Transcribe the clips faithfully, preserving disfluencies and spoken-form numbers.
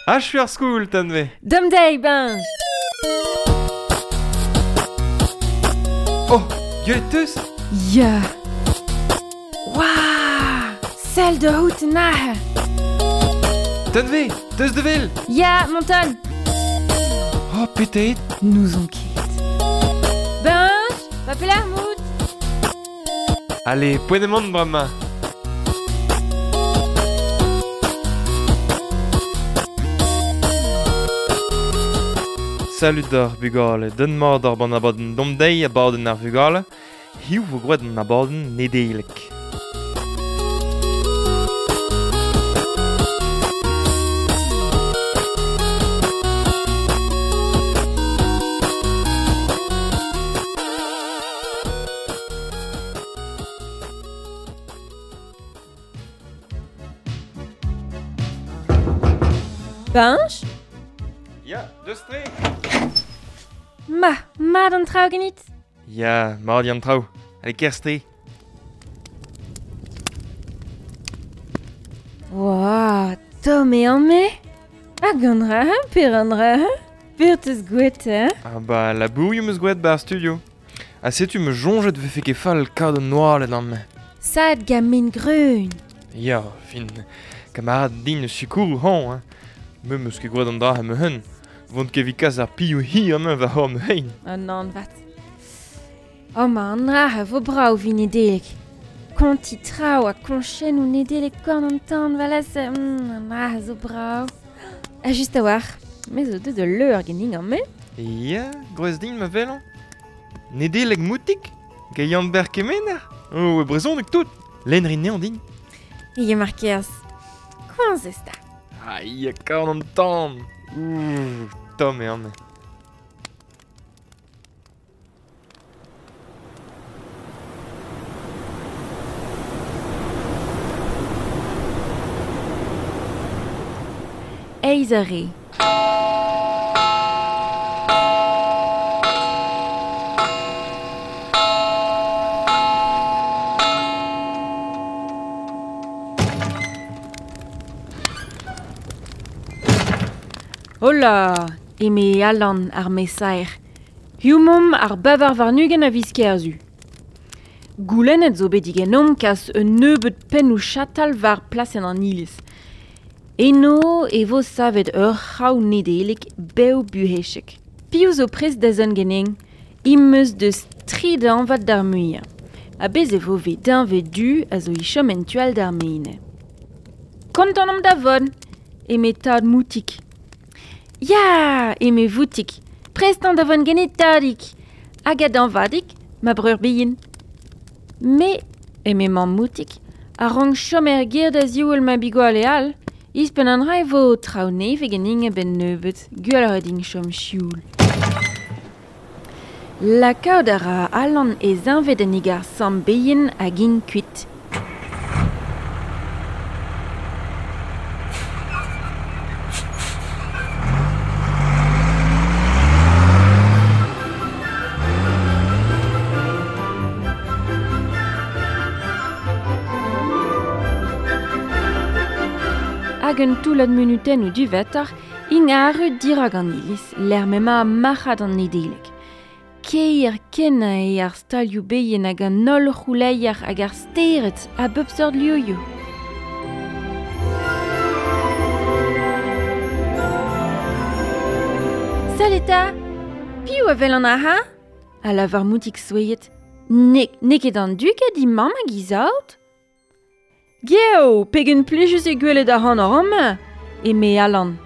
Achu ar skol, Tanve. Dom deiz, Benj. Oh, gwelet teus? Ya. Waouh! Sell da out an Tanve, teus de vel? Ya, monton. Oh, petet. N'ouzon ket. Benj, va pelar mout. Allez, poent emaon bremañ. Salut d'ar bugale, den mat ar ban abadenn domdeiz abadenn ar vugale, hiziv vo gwraet an abadenn Nedeleg. Benj? Ya, deus tre. Ma, mat an traoù ganit? Ya, mat an traoù. Allez, kerzh tre. Oa, tomm eo an-me. Hag an dra, per an dra, per teus gwet, hein? Ah ba, labourioù 'm eus gwraet 'ba ar studio. Ha setu me soñjet 'vefe ket fall kaout an oaled amañ. Sad gant min greun. Ya, fin, kamarad din eus sikourou hañ, hein. Me 'm eus ket gwraet an dra ha ma hun. Vont ket evit kas ar pioù hi amañ war hor ma hein. An an vat. Oh ma an dra a vo brav vi Nedeleg. Konti traoù ha koñchennoù Nedeleg korn an tan valaz. Mm, an dra a zo brav. Ha just a-walc'h, me zo deut ul leur ganin amañ. Ya, gwrez din ma welan. Nedeleg moutik? Gant Yann-Ber Kemener? Oh, e brezhoneg tout. Lenn rin anezhañ din. Ya mar kerzh. Koañs ez ta. Ah, ya, korn an tan. Ouh, tomm eo amañ. Eizh eur eo. Hola, eme Alan ar mesaer. Hiziv 'momp ar bevar warn-ugent a viz Kerzu. Goulennet zo bet diganeomp kas un nebeud pennoù chatal war plasenn an iliz. Eno e vo savet ur c'hraou Nedeleg bev buhezek. Piv zo prest da zont ganin? Im eus deus tri dañvad d'ar muiañ. Ha bez e vo vet deñved du a zo e chom en tu all d'ar maen. Kontant omp da vont, eme tad Moutig. Ya, eme Voutig, prest on da vont ganit tadig. Hag a dañvadig, ma breur bihan. Me, eme mamm Moutig, a rank chom er gêr da ziwall ma bugale all. Ouzhpenn an dra e vo traoù nevez ganin a-benn nebeut, gwelloc'h eo din chom sioul. Lakaat a ra Alan e zeñved en e gar samm bihan hag int kuit. Hag un toullad munutennoù diwezhatoc'h int arru dirak an iliz, lec'h m'emañ marc'had an Nedeleg. Kaer kenañ eo ar stalioù bihan hag an holl c'houleier hag ar stered a bep seurt livioù. Sell eta! Piv a welan aze? A lavar Moutig souezhet. N'eo n'eo ket an dug a di mamm hag he saout? Geo, pegen plijus eo gwelet ac'hanoc'h amañ, eme Alan.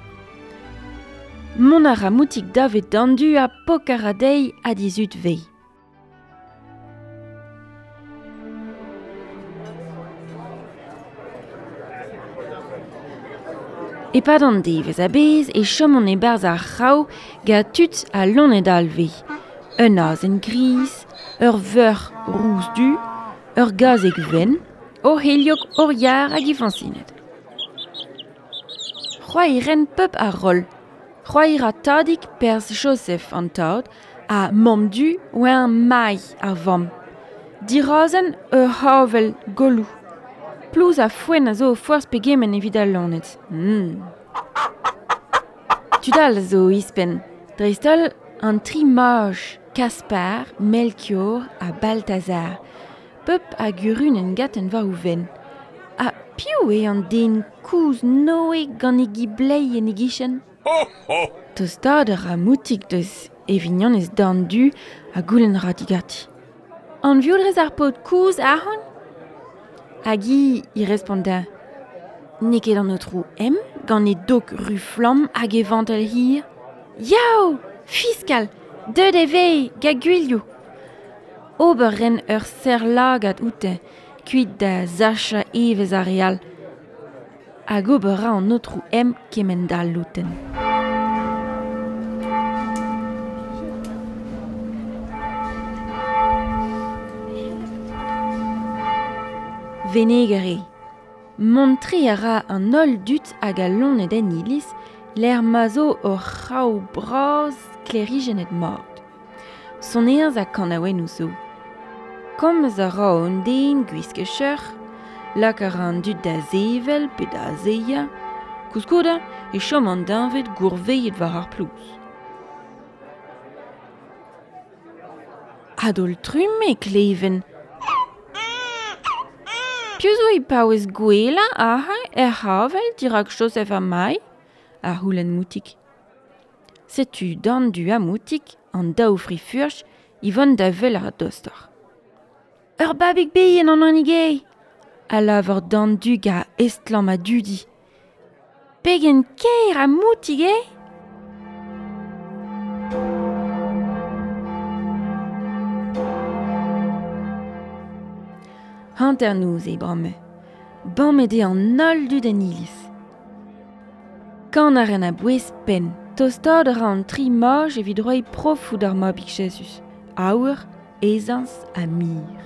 Mont a ra Moutig davet d'an du ha pok a ra dezhi ha d'he zud vez. E-pad an devezh a-bezh e chomont e-barzh ar c'hraou gant tud ha loened all vez. Un azen gris, ur veuc'h rous-du, ur gazeg wenn, o heliog hor yar hag he fañsined. C'hoari ren pep ar roll. C'hoari ra tadig perzh Joseph an tad ha mamm du oa mailh ar vamm. Dirazen ur c'havell goloù. Plouz ha foenn a zo o forzh pegement evit al loened. Mm. Tudal zo ispen. Dreist-holl an tri maj, Kaspar, Melchior ha Balthazar. Pep a gurunen gaten war ouven. Ha piv eo an den kouz Noe gant e giblei en e gichen? Ho, ho! Tostad ra moutik deus e vignonez dan du ha goulenn ra digati. An vioudrez ar paotr kouz ahon? Hag hi i responda. N'eo ket an aotrou M gant e dok ru flamm hag e vantel hir. Yao! Fiskal! Deut e vez, ga gwilioù! Ober ren ur serr-lagad oute, kuit da sachañ evezh ar re all. Hag ober ra an aotrou M kement-all outen. Veneger eo. Mont-tre a ra an holl dud hag al loened en iliz, lec'h ma zo ur c'hraou bras sklêrijennet mat. Sonerezh ha kanaouennoù zo. Komz a ra un den gwisket cheuc'h, lak a ra an dud da sevel pe da azezañ. Koulskoude e chom an deñved gourveilhet war ar plouz. A-daol-trumm e kleven. Piv zo e paouez gouelañ aze er c'havell dirak Joseph ha Mai? A c'houlenn Moutig. Setu dan du ha Moutig, an daou fri-furch, e vont da wel ar dostoc'h. Ur babig bihan an hini eo, a lavar dan du ga estlamm ha dudi. Pegen kaer ha Moutig eo! Hanternoz eo bremañ. Bammet eo an holl dud en iliz. Kan a ren a-bouez penn. Tostaat a ra an tri maj evit roiñ profoù d'ar mabig Jezuz. Aour, ezañs ha mir.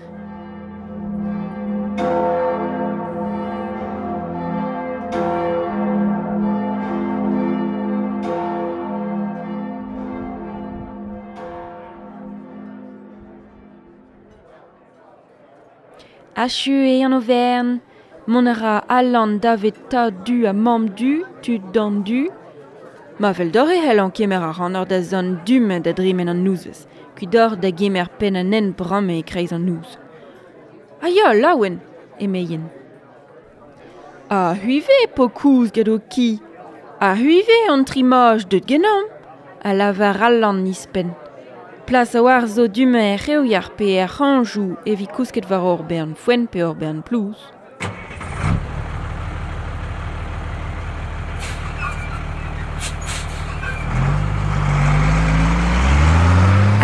Achu eo an overn. Mont a ra Alan davet tad du ha mamm du, tud dan du. Ma fell deoc'h e c'hellan kemer ar c'hannor da zont du-mañ da dremen an nozvezh, kuit deoc'h da gemer penn an hent bremañ e-kreiz an noz. Ha ya, laouen, emeien. Ha c'hwi 'vez po kouz gant ho ki. Ha c'hwi 'vez an tri maj deut ganeomp, a lavar Alan ouzhpenn. Plas a-walc'h zo du-mañ er c'hrevier pe er c'hrañjoù evit kousket war ur bern foenn pe ur bern plouz.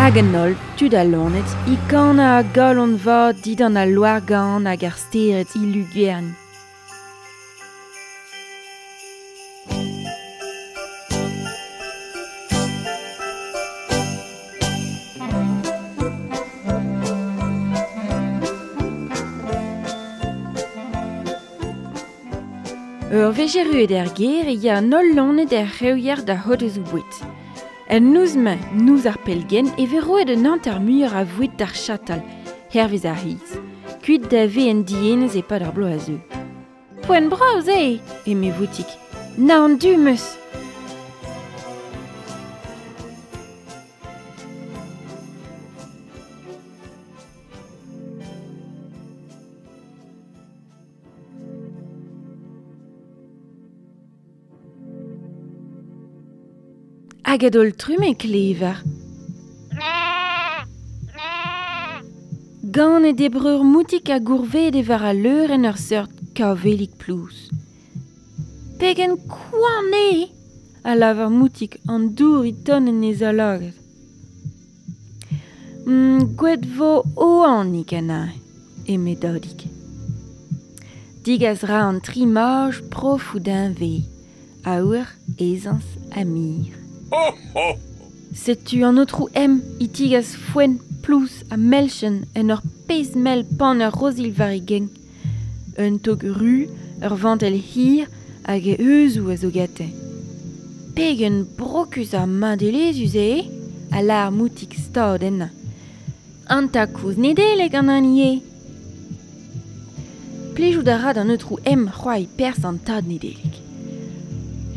Hag an holl, tud al loened, e kanañ a galon vat dindan al loar-gann hag ar stered e lugern. Ur wech erruet er gêr e ya an holl loened er c'hrevier da c'hodezoù boued. En noz-mañ, noz ar pellgent, e vez roet un hanter muioc'h a voued d'ar chatal, hervez ar c'hiz, kuit da vez en dienez e-pad ar bloaz a zeu. Poent bras eo, eme Voutig. Naon du 'm eus. Hag a-daol-trumm e klever. Ganet eo breur Moutig ha gourvedet eo war al leur en ur seurt kavellig plouz. Pegen koant eo, a lavar Moutig an dour e tont en e zaoulagad. Mm, Gwelet vo oanig anezhañ, eme Dadig. Digas ra an tri maj profoù deñved, aour, ezañs ha mir. Ho, ho! Setu an aotrou M e tigas foenn, plouz ha melchen en ur pezh mell pan ur rozil war e gein. Un tog ru, ur vantell hir hag e heuzoù a zo gante. Pegen brokus ha madelezhus eo, a lâr Moutig stad ennañ. An tad-kozh Nedeleg an hini eo. Plijout a ra d'an aotrou M c'hoari perzh an tad Nedeleg.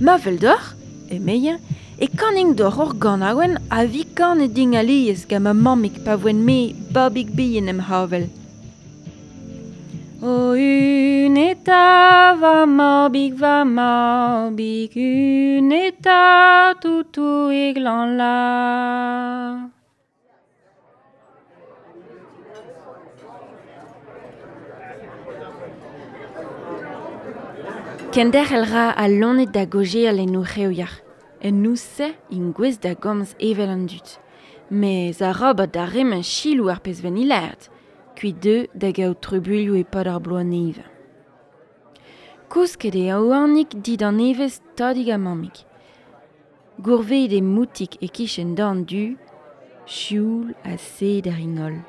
Ma fell deoc'h, emezañ, E kaning d'or ur ganaouenn a vi kanet din alies gant ma mammig pa voen me babig bihan em c'havell. O un eta va mabig va mabig, un eta toutou e glan la. Kenderc'hel ra a lonet da gojeal en o c'heoiar. En nous-se int gouez da gomz evel an dud. Mez a rabat da remen chilou ar pezh ven ilert, kuit deu da gaout trubuilhoù e-pad ar bloaz nevez. Kousket eo oanig dit an nevez tadig ha mammig. Gourveet eo moutik e-kichen dorn du, sioul ha sed ar ringol.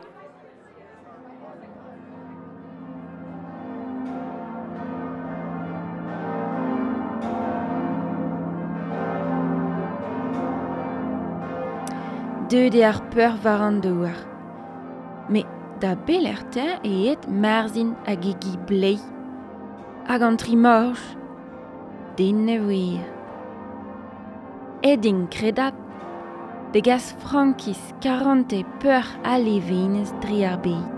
Deuet eo ar peur war an douar. Met da belec'h e aet Marzhin hag e gi bleiz. Hag an tri mor, den ne wir. Aet int kredap, degas frankiz, karante, peur ha levenez dre ar bed.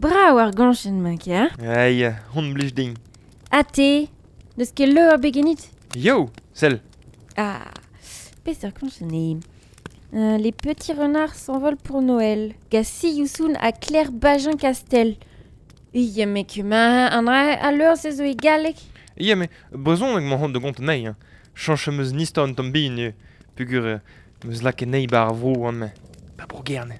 Brav ar goñchenn ma ker. Ai, hon blij din. Ha te, deus ket leur begenit? Yo, sell. Ah, peseurt goñchenn eo. Euh, les petits renards s'envolent pour Noël. Gassi Youssoun ha Claire Bajin-Castel. Ia me ma an dra a leur se zo e galleg. Ia me brezhoneg emañ c'hoant da gont anezhi. Hein. Chañch am eus an istor un tamm bihan eo. Peogwir em eus lakaet anezhi 'ba ar vro an me. Ba bro Gerne.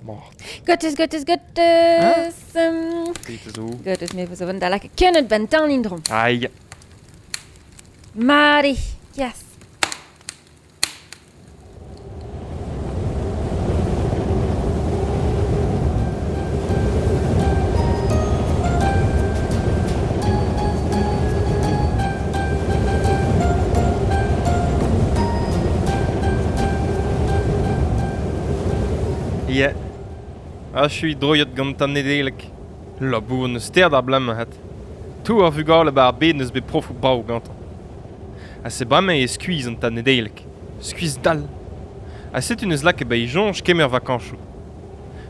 Mort. Gottes, gottes, gottes. Um, Petra zo. Gottes me zo vont da lakaat kennet ban tan indrom. Ai. Mari, yes. Ya. Achu droiet gant an Nedeleg. Labour neus ster d'ar blam hat. Tou ar vugale ba ar bed neus bet profou brav gantañ. Ha se bremañ e skuizh an tad Nedeleg. Skuizh dall. Ha setu neus lakaet ba e soñj kemer vakañsoù.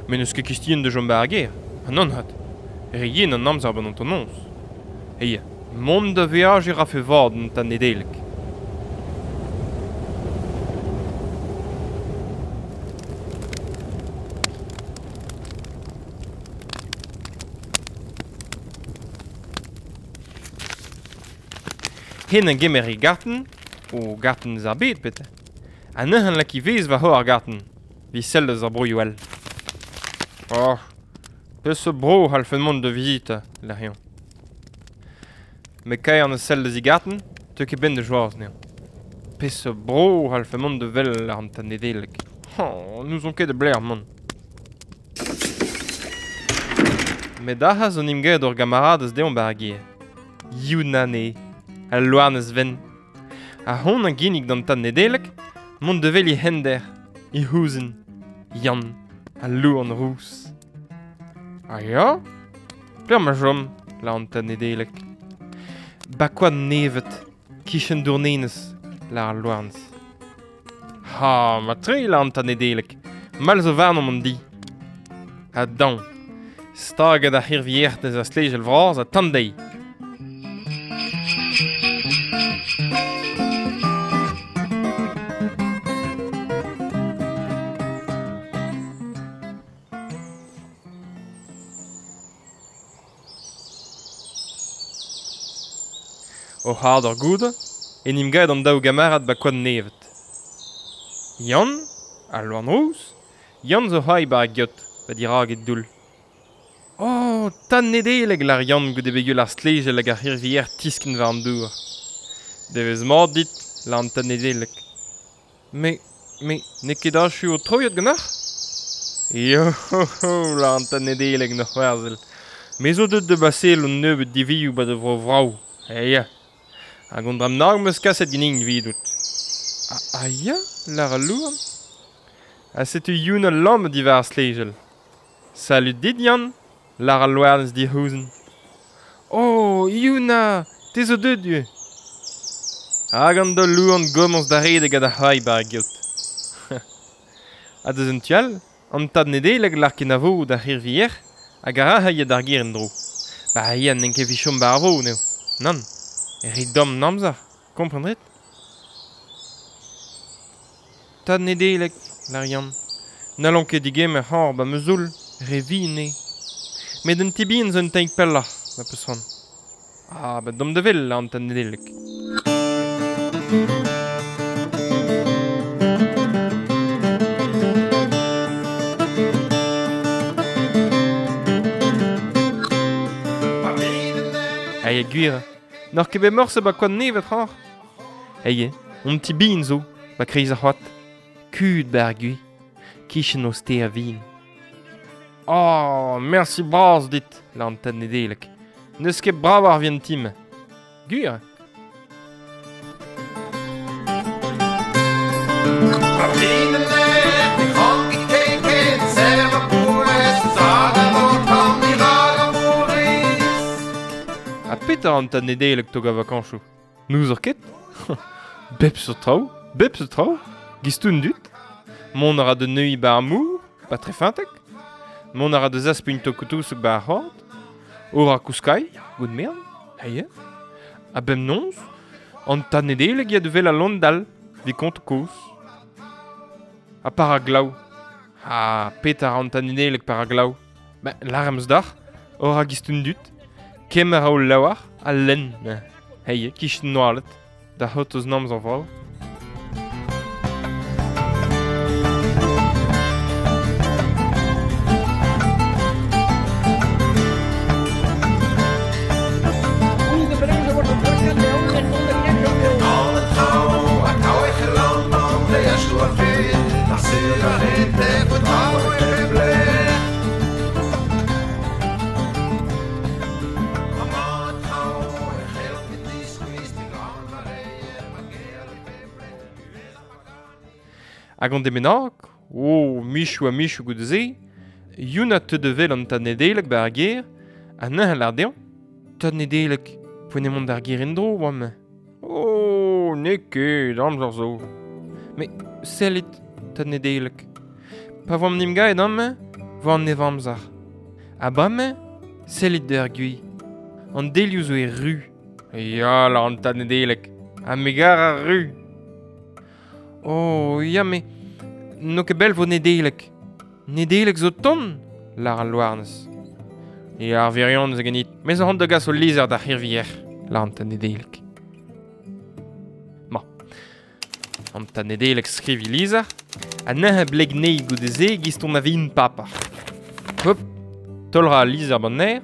Met n'eus ket kestien da chom ba ar gêr. Ha nann hat. Re yen an amzer ban an annoñs. Eia, mont da veajiñ rafe vad an tad Nedeleg. Hen a gemer e garten, o garten eus ar bed pete. Ha neuze lak ivez war ho ar garten, vi sell eus ar broioù all. Oh, peseurt bro c'hallfen mont da vizitañ, lâr-eñ. Met kaer neus sell eus e garten, teu ket benn da joaz anezhañ. Peseurt bro c'hallfen mont da wel ar an tad Nedeleg. Oh, n'ouzon ket da blec'h mont. Met ac'haz on emgavet ur gamaradez deomp 'ba ar gêr. Youn anezhi. Al loarnez ven. Ha hon a ginnig d'an tad Nedeleg, mont da wel e hender, e c'houzenn, Yann, al louarn rous. Ha ya? Pelec'h ma chom, lâr an tad Nedeleg. Ba koad nevet, kichen Dournenez, lâr al louarnez. Ha, ma tre, lâr an tad Nedeleg, mall zo warnomp an di. Ha dañ, staget ar c'hirvier deus ar stlejel vras ha tan dezhi. O c'hard ur goude, en em gaet an daou gamarad ba koad nevet. Yann, al loan rous, Yann zo c'hoari ba ar geot, ba dirak e doull. Oh, tad Nedeleg lâr Yann goude bet gwell ar stlejel hag ar c'hirvier tiskenn war an dour. Devezh mat dit, la an tad Nedeleg. Me, me, n'eo ket achu o troiad ganeoc'h? Yo ho ho, la an tad Nedeleg n'oc'h c'hoarzhel. Me zo deut da basel un nebeud divioù ba da vro vrav. Eh ya. Hag an dra nag 'm eus kaset ganin evidout. Ah, ah ya, lar al louarn. Ha setu Yuna lammet diwar ar stlejel. Salud dit, Yann, lar al louarnez dic'houzenn. Oh, Yuna, te zo deut ivez. Hag an daou louarn gomañs da redek ha da c'hoari ba ar geot. Ha deus un tu all, an tad Nedeleg lar kenavo d'ar c'hirvier hag a ra ya d'ar gêr en-dro. Ba ya n'en ket evit chom ba ar vro, n'eo. Nann, re domm an amzer, kompren ret? Tad Nedeleg, lar Yann. N'hallon ket digemer c'hor ba ma zoull, re vihan eo. Met un ti bihan zo un tammig pelloc'h, ma peus c'hoant. Ah, ba domp da wel, an tad Nedeleg. Aia gwir, n'oc'h ket bet morse ba koad nevet c'hor. Aia, on ti bihan zo, ba kreiz ar c'hoad. Kud ba ar gwi, kichen o ste a vin. Oh, merci bras dit, la an tad Nedeleg. N'eus ket brav ar vien tim. Gwir. Ha petra an tad Nedeleg tog a vakañsoù? N'ouzoc'h ket? Bep seurt traoù, bep seurt traoù, gistoun dud. Mont a ra da neuiñ ba ar mor, ba trefintek. Mont a ra da zaspugn tokoutouseg ba ar c'hoad. Ora kouskai, gout mern, heie. Ha bemnoz, an tad Nedeleg ya da wel al lon dall, vi kont kozh. Ha par a glav. Ha petra an tad Nedeleg par a glav? Ben, lar em eus dac'h, ora gistoun dud. Kemer a o laouar, a lenn, heie, kichen noalet, da c'hot eus namz an vrav. Hag an demenag, oh, michou ha michou goude se, Yuna te devel an tad Nedeleg ba ar gêr, ha neuze lar dezhañ, tad Nedeleg, poent eo mont d'ar gêr en-dro, oa-me. Oh, n'eo ket, amzer zo. Mais sellit, tad Nedeleg. Pa voamp nim gaet amañ, vo an nev amzer. Ha bremañ, sellit d'ar gwi. An delioù zo e ru. Ya, lar an tad Nedeleg, ha me gar ar ru. Oh, ya, me n'o ket bell vo Nedeleg. Nedeleg zo ton, lar al louarnez. Ya, ar virionez a ganit. Me zo c'hoant da gas o lizher d'ar c'hirvier, lar an tad Nedeleg. Ma. An tad Nedeleg skriv e lizher, ha neuze bleg nei goude se giz ton a vin papa. Hop, taol ra al lizher ban aer,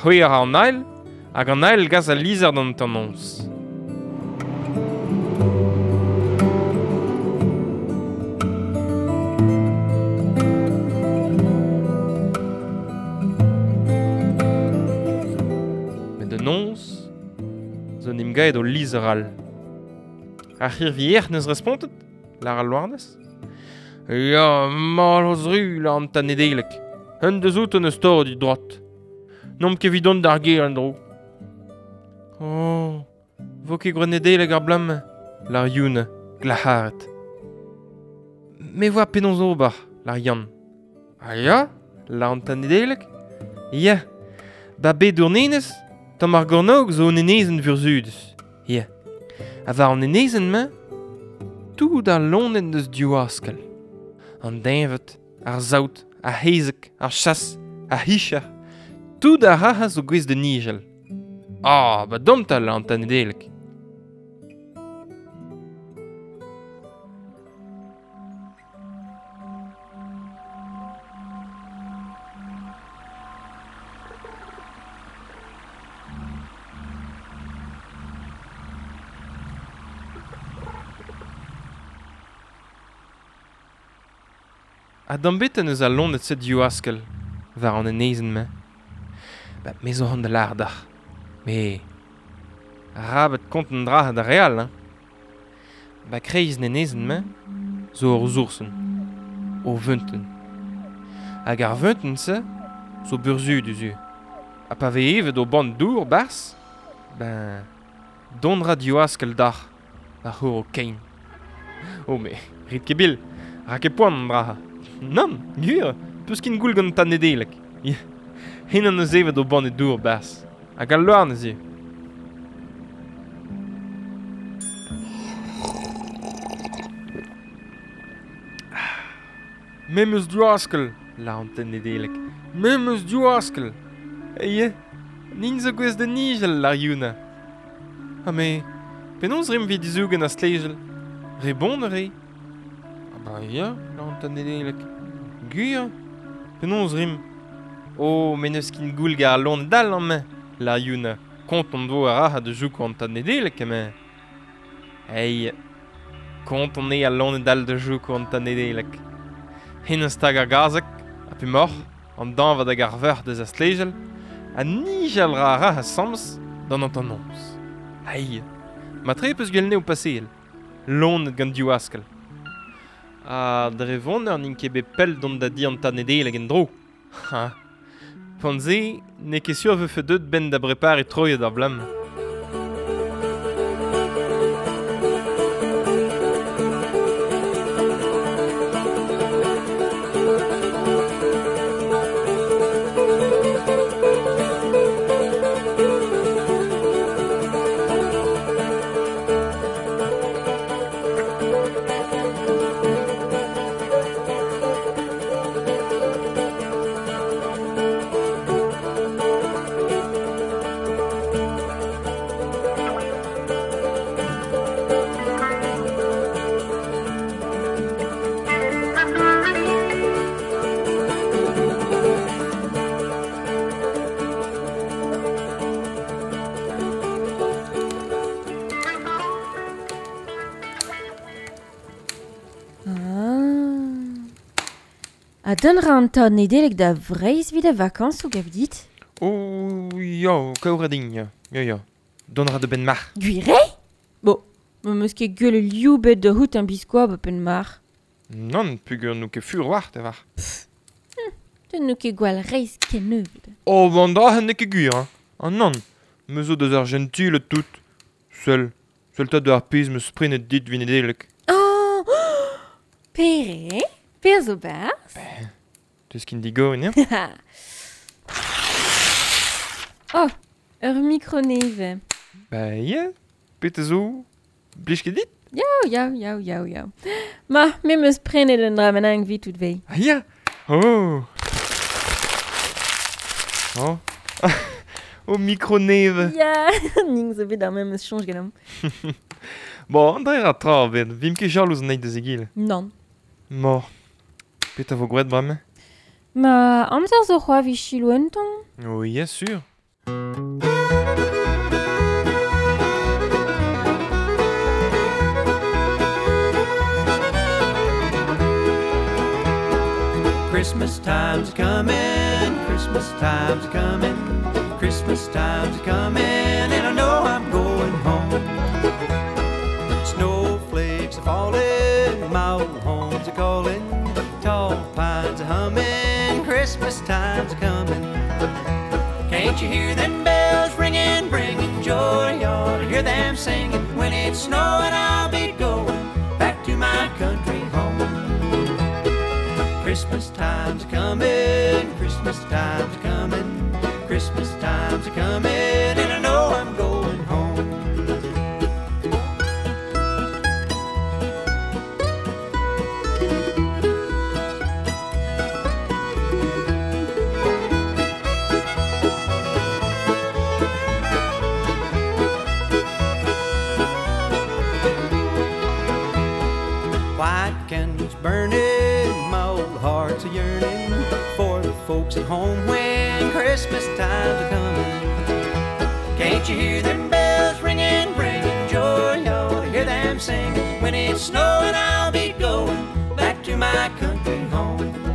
c'hwezhañ ra an ael, hag an ael gas al lizher d'an tannoñs. Met da noz, zo n'em gaet o lizher all. Ar c'hirvier neus respontet, lar al louarnez. Ya, mallozh ru, lar an tad Nedeleg. Un deus out neus torret e droad. N'omp ket evit dont d'ar gêr en-dro. Oh, vo ket gwraet Nedeleg ar bloaz-mañ, lar Yuna, glac'haret. Me voa penaos ober, lar Yann. Ah ya, lar an tad Nedeleg? Ya, ba bet Dournenez, tamm ar gornog zo un enezenn vurzhudus. Ya. Ha war an enezenn-mañ, tout ar loened deus div askell. An deñved, ar saout, ar c'hezeg, ar chas, ar c'hicher, tout ar rac'h zo gouest da nijal. Ah, ba domp 'ta, lar an tad Nedeleg. A d'ambet en eus a lonet set diou askel, war an enezen me. Ba, me zo an da lardar. Me... Rabet kont an dra da real, hein. Ba kreiz n'enezen me, zo ur zoursen, o veunten. Hag ar veunten se, zo burzhudus eo. Ha pa vez evet o band dour bars, ben, don ra diou askel dar, ar c'hour o kein. Oh me, rit ket bil, ra ket poan an dra. Nann, gwir, peus kin goul gant tan Nedeleg. Hen an eus evet o band e dour bars, hag al loar neuze. Me meus diou askel, la an ten Nedeleg. Me meus diou askel. Eie, nin zo gwez da nijel, lar Yuna. Ha me, penaos rim vid dizougen a stlejel? Re bon re? Ah ba ya, la an ten Nedeleg. Gwir, penaos rim? Oh, me neus kin goul gar lon dal an me, lar Yuna. Kont on do a ra de jouk an tan Nedeleg, eme. Ei, kont on e a lon dal de jouk an tan Nedeleg. Hen an stag ar gazek, a pe mor, an danvad hag ar veur deus a stlejel, a nijal ra ra a samz d'an an anons. Ai, ma tre peus gwell o paseel, lonet gant diou askel. A dre vonner n'int ket bet pell dont da di an tad Nedeleg en dro. Ha, pan ze, n'eo ket sur vefe deut ben da brepare troiet ar blam. A don ra an tad Nedeleg da vreiz vid a vakansoù gav dit? Oh, ya, kaour a din, ya, ya, ya. Don ra de ben mar. Gwir eo? Bo, ma meus ket gwell liou bet da hout an biskoa ba pen mar. Nann, pugur n'ou ket fur war, te war. Pff, hm, te n'ou ket gwall reiz ken nebeut. Oh, ban dra n'eo ket gwir, hein. Ah nann, me zo deus ar gentil tout. Seul, seul tad de ar pezh meus prenet dit vin Nedeleg. Oh, pere? Per zo barz? Ben, teus kin digorin, ya? Oh, ur mikro-neve. Ba ya, pet a zo, blij ket dit? Yaou, yaou, yaou, yaou, yaou. Ma, me meus prenet un dra bennak evit tout vei. Ah ya? Oh! Oh. Oh, mikro-neve. Ya, ning zo bet ar memes soñj ganeomp. Bon, an dra ra tra bet, vim ket jalouz an eil deus egile. Nann. Mor. Pet a vo gwraet bremañ? Ma amzer zo c'hoa vi chilo un ton. Oh, ya, sur. Christmas time's coming, Christmas time's coming, Christmas time's coming, and I know I'm going home. Snowflakes are falling, my old home's a calling, tall pines are humming, Christmas time's coming. Can't you hear them bells ringing, bringing joy? You ought to hear them singing. When it's snowing, I'll be going back to my country home. Christmas time's coming, Christmas time's coming, Christmas time's coming, and I know I'm going home. White candles burning, my old heart's a yearning for the folks at home when Christmas time's a coming. Can't you hear them bells ringing, bringing joy? You ought to hear them singing. When it's snowing, I'll be going back to my country home.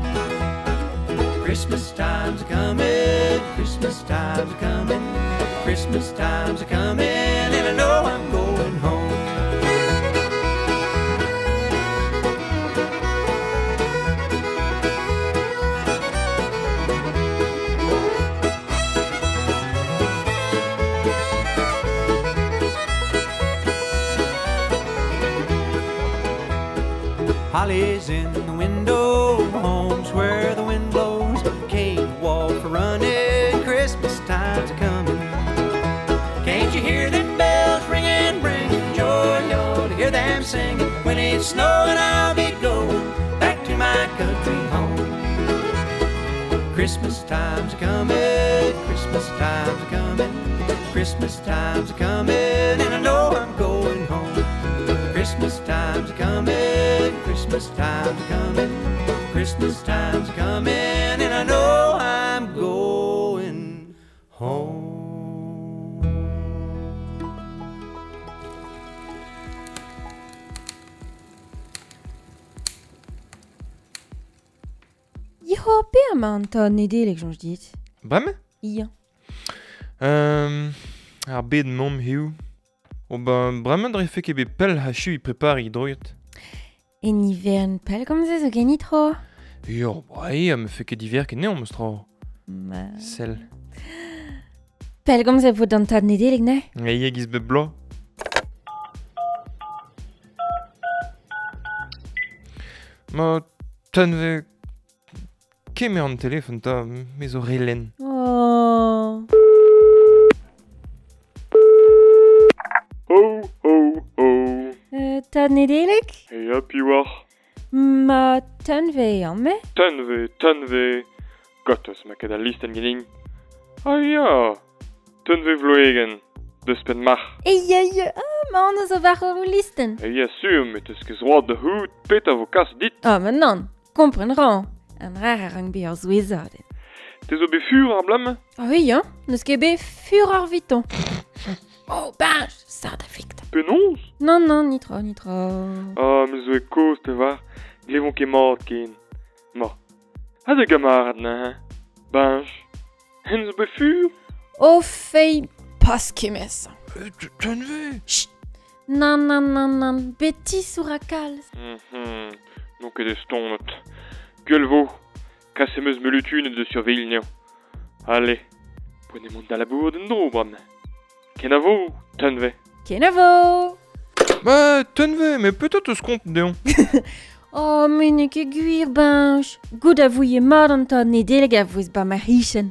coming, Christmas time's a coming, and I know I'm going home. Holly's in the window, home's where the wind blows. Can't walk for running, Christmas time's a coming. Can't you hear them bells ringing, bringing joy? Oh, to hear them singing. When it's snowing, I'll be going back to my country home. Christmas time's a coming, Christmas time's a coming, Christmas time's a coming, and I know I'm going home. Christmas time's a coming, Christmas time's a coming, Christmas time's a coming, and I know I'm going home. Yo, pe ma an tad Nedeleg, soñj dit. Bremañ? Ya. Euh, ar bed mamm hiziv. O ben, bremañ dre fe ket bet pell ha chu i prepari droiet. En ivern pell komzez zo genit tro. Yo, ba eo, me fe ket diver ket neon, meus tro. Ma... Sell. Pell komzez vo d'an tad Nedeleg, ne? E ia giz bet bloaz. Ma tenve... Kemer an telefon ta, me zo re lenn. Oh. Ho, ho, ho. Euh, tad Nedeleg? E a piwar. Ma tenve an me? Tenve, tenve. Gottes ma ket al listen genin. Ah ya. Tenve vloegen. Deus pen mar. E ya ya, ah, ma an eus o var o listen. E ya sur, met eus ket zroad da hout, pet a vo kas dit. Ah, ma nan, kompren ran. An rar a rank be ar zouezadenn. Te zo bet fur ar blam? Ah oui, hein, n'eus ket bet fur ar viton. Oh, ben, sard a fikt. Penaos? Non, non, ni tro, ni tro. Ah, me zo e koz te var, glevon ket mat ken. Ma, ha de gamarad na, hein? Benj, hen zo bet fur? Oh, fei, pas kemez. Tenve? Chut. Nan, nan, nan, nan, betis our a kalz. Mm-hmm, non ket estonnet. Gueule vo, kasse meus meulutun de surveil neo. Allez, prenez mont da labour d'en dro, bram. Kenavo, tenve. Kenavo! Bah, tenve, mais peut-être eus kont deon. Oh, me n'eo ket gwir, bench. Gout a vouye mat an tad Nedeleg a vouez ba ma richen.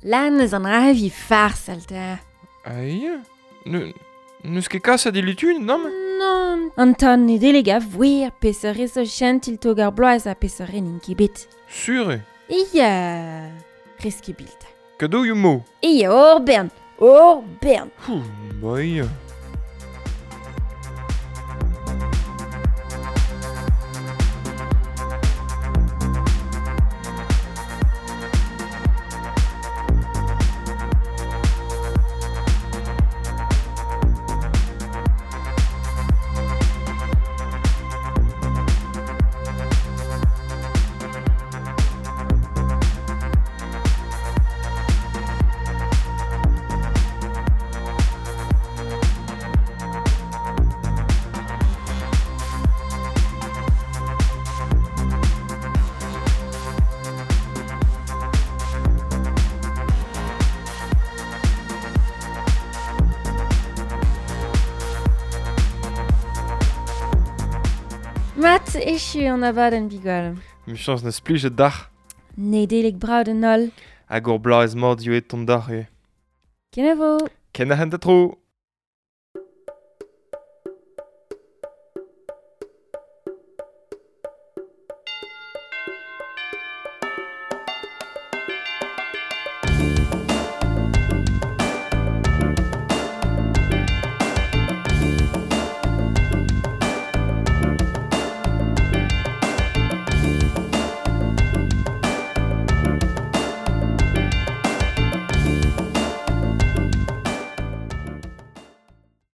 Lan eus an ravi fars alta. Aïe, ne, n'eus ket kas a dilutun, non? Non, an tad Nedeleg a vouir peseurt zo chentil tog ar bloaz a peseurt n'int ket bet. Sur eo. Ia, rez ket bilt. Kado eo mo. Ia, hor bern, hor bern. Hou, ba ia. Mat echu an abadenn bigol. Michans na splij d'ar. Nedeleg brav d'an holl. Hag ur bloaz mat eo et ton d'ar eo. Kenavo! Ken a hent a tro!